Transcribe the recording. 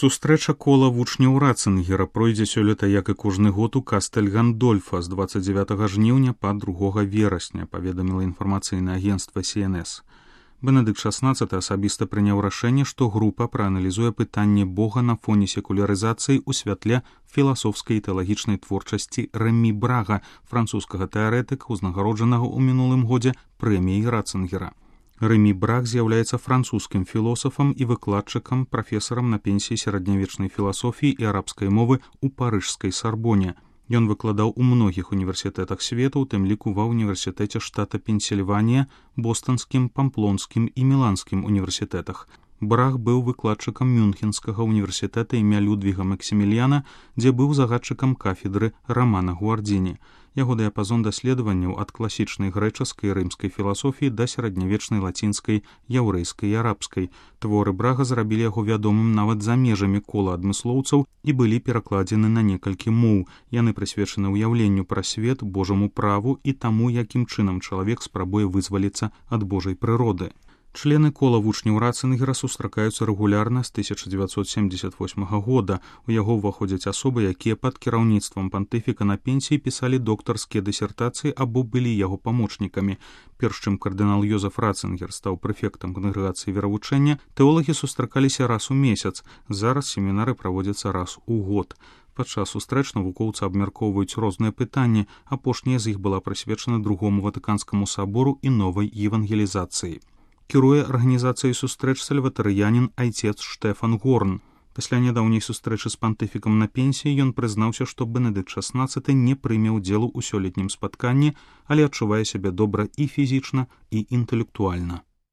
Сустрэча кола вучняў Ратцингера пройдзе сёлета, як і кожны год у Кастэль Гандольфа з 29 жніўня па 2 верасня, паведаміла інфармацыйнае агенцтва CNS. Бенедыкт XVI асабіста прыняў рашэнне, што група прааналізуе пытанне Бога на фоне секулярызацыі ў святле філасофскай і тэалагічнай творчасці Рэмі Брага, французскага тэарэтыка, узнагароджанага ў мінулым годзе прэміяй Ратцингера. Рэмі Браг з'яўляецца французскім філосафам і выкладчыкам, прафесарам на пенсіі сярэднявечнай філасофіі і арабскай мовы ў парыжскай Сарбоне. Ён выкладаў у многіх універсітэтах свету, у тым ліку ва ўніверсітэце штата Пенсільванія, Бостанскім, Памплонскім і Міланскім універсітэтах. Браг быў выкладчыкам Мюнхенскага універсітэта імя Людвіга Максіміліяна, дзе быў загадчыкам кафедры Рамана Гуардзіні. Яго дыяпазон даследаванняў ад класічнай грэчаскай і рымскай філасофіі да сярэднявечнай лацінскай, яўрэйскай і арабскай. Творы Брага зрабілі яго вядомым нават за межамі кола адмыслоўцаў і былі перакладзены на некалькі моў. Яны прысвечаны ўяўленню пра свет, Божаму праву і таму, якім чынам чалавек спрабуе вызваліцца ад Божай прыроды. Члены кола вучняў Ратцингера сустракаюцца рэгулярна з 1978 года. У яго ўваходзяць асобы, якія пад кіраўніцтвам пантыфіка на пенсіі пісалі доктарскія дысертацыі або былі яго памочнікамі. Перш чым кардынал Йозеф Ратцингер стаў прэфектам кангрэгацыі веравучэння, тэолагі сустракаліся раз у месяц. Зараз семінары праводзяцца раз у год. Падчас сустрэч навукоўцы абмяркоўваюць розныя пытанні. Апошняя з іх была прысвечана Другому Ватыканскаму сабору і новай евангелізацыі. Кіруе арганізацыяй сустрэч сальватарыянін айцец Штэфан Горн. Пасля нядаўняй сустрэчы з пантыфікам на пенсіі ён прызнаўся, што Бенедыкт XVI не прыме ўдзелу ў сёлетнім спатканні, але адчувае сябе добра і фізічна, і інтэлектуальна.